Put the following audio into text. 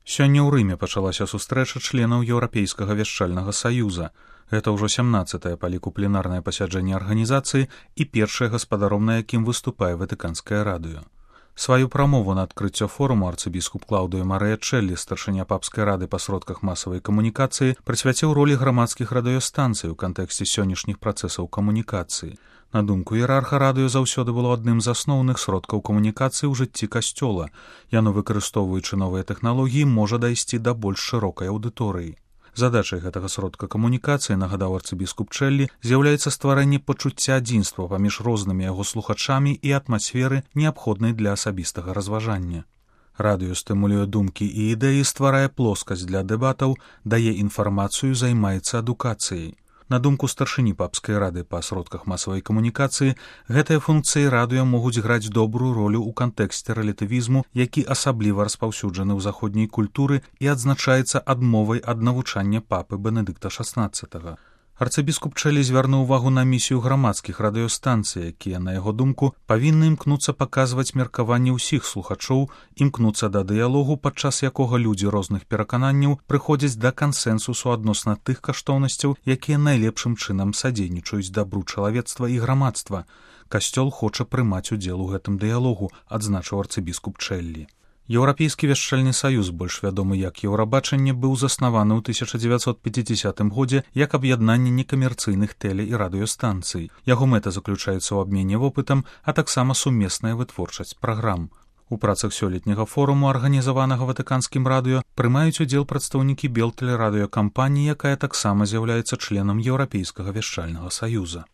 Сёння ў Рыме пачалася сустрэча членаў Еўрапейскага вяшчальнага саюза. Гэта ўжо 17-е па ліку пленарнае пасяджэнне арганізацыі і першае гаспадаром, на якім выступае Ватыканскае радыё. Сваю прамову на адкрыццё форуму арцыбіскуп Клаўдыё Марыя Чэллі, старшыня папскай рады па сродках масавай камунікацыі, прысвяціў ролі грамадскіх радыёстанцый у кантэксце сённяшніх працэсаў камунікацыі. На думку іерарха, радыё заўсёды было адным з асноўных сродкаў камунікацыі ў жыцці касцёла. Яно, выкарыстоўваючы новыя тэхналогіі, можа дайсці да больш шырокай аўдыторыі. Задачай гэтага сродка камунікацыі, нагадаў арцыбіскуп Чэллі, з'яўляецца стварэнне пачуцця адзінства паміж рознымі яго слухачамі і атмасферы, неабходнай для асабістага разважання. Радыё стымулюе думкі і ідэі, стварае плоскасць для дэбатаў, дае інфармацыю, займаецца адукацыяй. На думку старшыні папскай рады па сродках масавай камунікацыі, гэтыя функцыі радыё могуць граць добрую ролю ў кантэксце рэлятывізму, які асабліва распаўсюджаны ў заходняй культуры і адзначаецца адмовай ад навучання папы Бенедыкта XVI. Арцыбіскуп Чэллі звярнуў увагу на місію грамадскіх радыёстанцый, якія, на яго думку, павінны імкнуцца паказваць меркаванне ўсіх слухачоў, імкнуцца да дыялогу, падчас якога людзі розных перакананняў прыходзяць да кансэнсусу адносна тых каштоўнасцяў, якія найлепшым чынам садзейнічаюць дабру чалавецтва і грамадства. Касцёл хоча прымаць удзел у гэтым дыялогу, адзначыў арцыбіскуп Чэллі. Еўрапейскі вяшчальны саюз, больш вядомы як Еўрабачанне, быў заснаваны ў 1950 годзе як аб'яднанне некамерцыйных тэле- і радыёстанцый. Яго мэта заключаецца ў абмене вопытам, а таксама сумесная вытворчасць праграм. У працах сёлетняга форуму, арганізаванага Ватыканскім радыё, прымаюць удзел прадстаўнікі Белтэлерадыёкампаніі, якая таксама з'яўляецца членам Еўрапейскага вяшчальнага саюза.